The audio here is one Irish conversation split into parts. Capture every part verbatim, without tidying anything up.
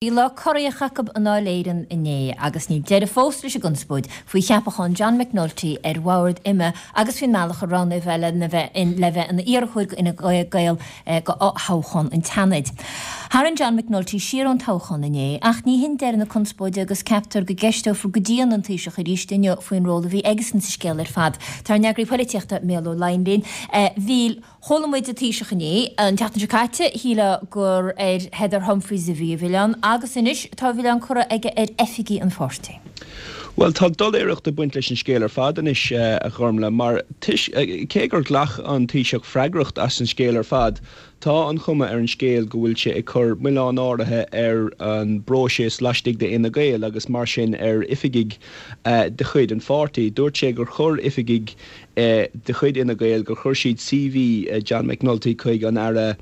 Bhí lá corraitheach acu i nDáil Éireann inné agus níl deireadh fós leis an gconspóid faoi cheapachán John McNulty ar bhord IMMA agus faoin mbealach a roghnaíodh é le bheith le bheith ina iarrthóir d'Fhine Gael do thoghchán an tSeanaid. Tharraing John McNulty siar ón toghchán inné ach ní hin deireadh na conspóide agus ceaptar go gceisteofar go dian an Taoiseach arís inniu faoin ról a bhí aigesan sa scéal ar fad. Tá ár n-eagraí polaitíochta Mícheál Ó Laighin linn. Mhíchíl, Chuala muid an Taoiseach inné, an tseachtain seo caite, shílfeá gur ar Heather Humphreys a bhí a mhilleán agus anois tá a mhilleán curtha aige ar oifigigh an pháirtí. Bhuel, tá doiléireacht ag baint leis an scéal ar fad anois, a Ghormlaith, mar cé gur ghlac an Taoiseach freagracht as an scéal ar fad, tá an chuma ar an scéal go bhfuil sé ag cur milleán áirithe ar an bpróiseas laistigh d'Fhine Gael agus mar sin ar oifigigh de chuid an pháirtí. Dúirt sé gur chuir oifigigh de chuid Fhine Gael gur chuir siad C V John McNulty chuig an Aire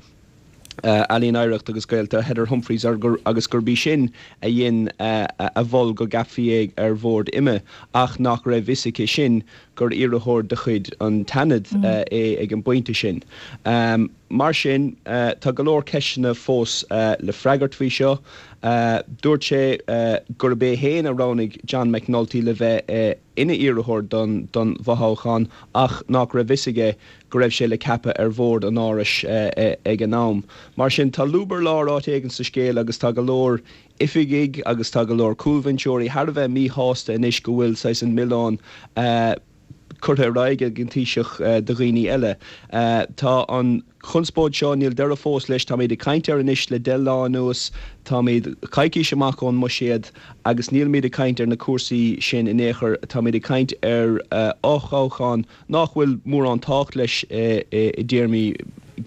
Ealaíon, Oidhreachta agus Gaeltachta Heather Humphreys agus gurb í sin a dhein a mhol go gceapfaí é ar bhord IMMA ach nach raibh fhios aici sin gur iarrthóir de chuid an tSeanaid é ag an bpointe sin. Mar sin, tá go leor ceisteanna fós le freagairt faoi seo. Dúirt sé gurb é féin a roghnaigh John McNulty le bheith ina iarrthóir don don bhfothoghchán ach nach raibh fhios aige go raibh sé le ceapadh ar bhord an Árais ag an am. Mar sin, tá lúb ar lár áit éigin sa scéal agus tá go leor oifigigh agus tá go leor cúlbhinseoirí thar a bheith míshásta anois go bhfuil saghas an milleán curtha ar aghaidh ag an Taoiseach do dhaoine eile. Tá an chonspóid seo, níl deireadh fós leis, táimid ag caint air anois le deich lá anuas, táimid coicís amach ón mbuiséad agus nílimid ag caint ar na cúrsaí sin in aon chor, táimid ag caint ar fhothoghchán nach bhfuil mórán tábhacht leis i dtéarmaí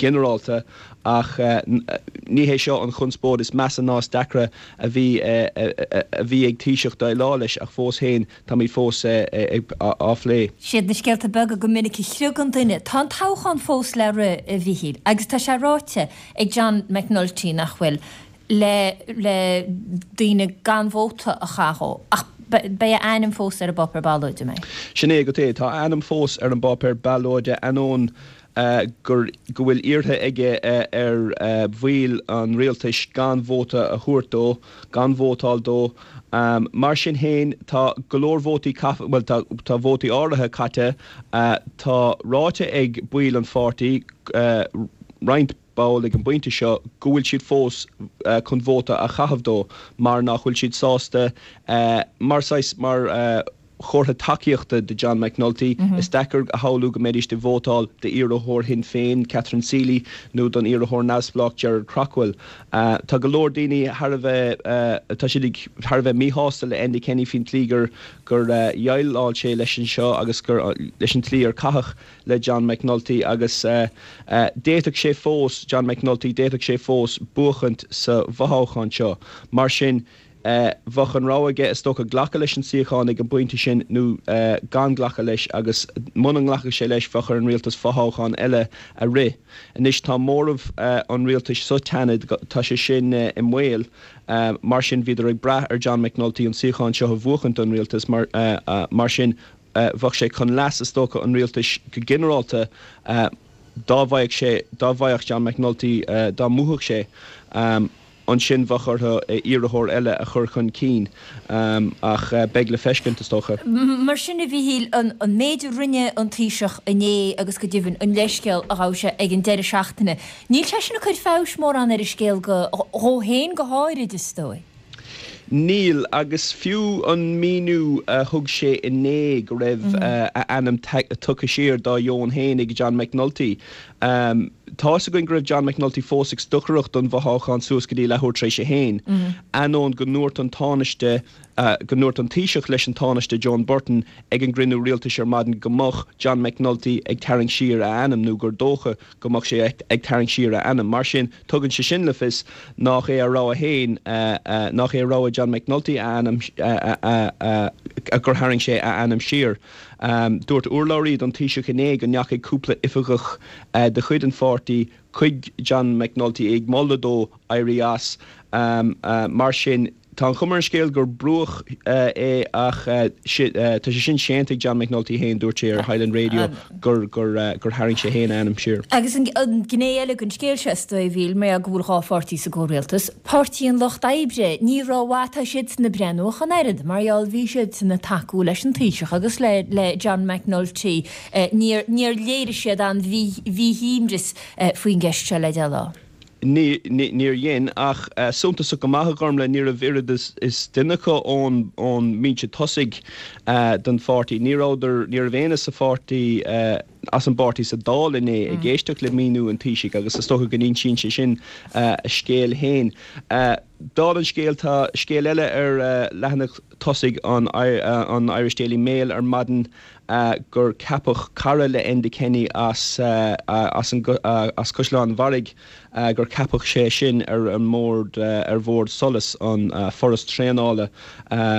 ginearálta ach ní hé seo an chonspóid is measa ná is deacra a bhí a bhí ag Taoiseach déileáil leis ach fós féin táimid fós á phlé. Siad na scéalta beaga go minic a chriogann duine. Tá an toghchán fós le rith, a Mhíchíl, agus tá sé ráite ag John McNulty nach bhfuil le le daoine gan vóta a chaitheamh ach beidh a ainm fós ar an bpáipéar ballóide mé. Sin é go é tá a ainm fós ar an bpáipéar ballóide ainneoin gur go bhfuil iarrtha aige ar bhaill an rialtais gan vóta a thabhairt dó, gan vótáil dó. Mar sin féin tá go leor vótaí well tá tá vótaí áirithe caite, tá ráite ag baill an pháirtí roinnt ball ag an bpointe seo go bhfuil siad fós chun vóta a chaitheamh dó mar nach bhfuil siad sásta mar saghas mar chomhartha tacaíochta do John McNulty. Is deacair a shamhlú go mbeidís ag vótáil d'iarrthóir Shinn Féin, Catherine Seeley nó don iarrthóir neamhspleách Gerard Craughwell. Tá go leor daoine thar a bheith tá siad ag thar a bheith míshásta le Enda Kenny faoin tslí gur gur dhéileáil sé leis an seo agus gur leis an tslí ar caitheadh le John McNulty agus d'fhéadfadh sé fós John McNulty d'fhéadfadh sé fós buachaint sa bhfothoghchán seo. Mar sin bheadh an rogha aige is dócha glacadh leis an suíochán ag an bpointe sin nó gan glacadh leis agus muna nglacfadh sé leis bheadh ar an rialtas fothoghchán eile a rith. Anois tá móramh an rialtais sa tSeanad tá sé sin i mbaol, mar sin bhíodar ag brath ar John McNulty an suíochán seo a bhuachaint don rialtas mar mar sin bheadh sé chun leas is dócha an rialtais go ginearálta dá bhfaigheadh sé dá bhfaigheadh John McNulty dá mbuafadh sé. Ansin bheadh orthu iarrthóir eile a chur chun cinn ach beidh le feiscint is dócha. Mar sin a Mhíchíl, an méid a rinne an Taoiseach inné agus go deimhin an leithscéal a ghabh sé ag an deireadh seachtaine, níl sé sin ag cur feabhais mórán ar an scéal go dhó féin go háirid is dóigh. Níl, agus fiú an míniú a thug sé inné go raibh a ainm tugtha siar dá dheoin féin ag John McNulty, Tá's againn go raibh John McNulty fós ag stocaireacht don bhfothoghchán suas go dtí leathuair tar éis a haon, ainneoin go ndúirt an Tánaiste, go ndúirt an Taoiseach leis an Tánaiste Joan Burton ag an gcruinniú rialtais ar maidin go mbeadh John McNulty ag tarraingt siar a ainm nó gur dócha go mbeadh sé ag tarraingt siar a ainm. Mar sin, tugann sé sin le fios nach é a rogha féin, nach é rogha John McNulty a ainm, gur tharraing sé a ainm siar. Dúirt urlabhraí don Taoiseach inné go ndeachaigh cúpla oifigeach de chuid an pháirtí chuig John McNulty ag moladh dó éirí as. Mar sin, Tá an chuma ar an scéal gur brúdh é ach tá sé sin séanta ag John McNulty féin, dúirt sé ar Highland Radio gur gur gur tharraing sé féin a ainm siar. Agus an ghné eile den scéal seo is dóigh, a Mhíl, mar go bhfuil dhá pháirtí sa gcomhrialtas, Páirtí an Lucht Oibre, ní rómhaith atá siadsan ag breathnú ach an oiread, mar gheall bhí siadsan ag tacú leis an Taoiseach agus le le John McNulty, níor níor léirigh siad aon mhíshuaimhneas faoin gceist seo le deich lá. Níor dhein, ach suntasach go maith, a Ghormlaith, ní raibh oiread is duine acu ón mbinse tosaigh den pháirtí. Ní rabhadar, ní raibh éinne sa pháirtí, as an bpáirtí sa Dáil inné ag éisteacht le míniú an Taoisigh agus is dócha go n-insíonn sé sin a scéal féin. Dála an scéil, tá scéal eile ar leathanach tosaigh an Irish Daily Mail ar maidin, gur ceapadh cara le Enda Kenny as as as Caisleán an Bharraigh, gur ceapadh sé sin ar an mbord ar bhord SOLAS, an foras traenála.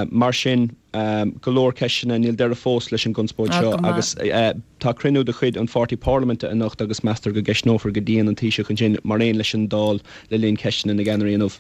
Mar sin, go leor ceisteanna, níl deireadh fós leis an gconspóid seo agus tá cruinniú de chuid an pháirtí parlaiminte anocht agus meastar go gceistneofar go dian an Taoiseach ansin mar aon leis an Dáil le linn ceisteanna na gceannairí inniu.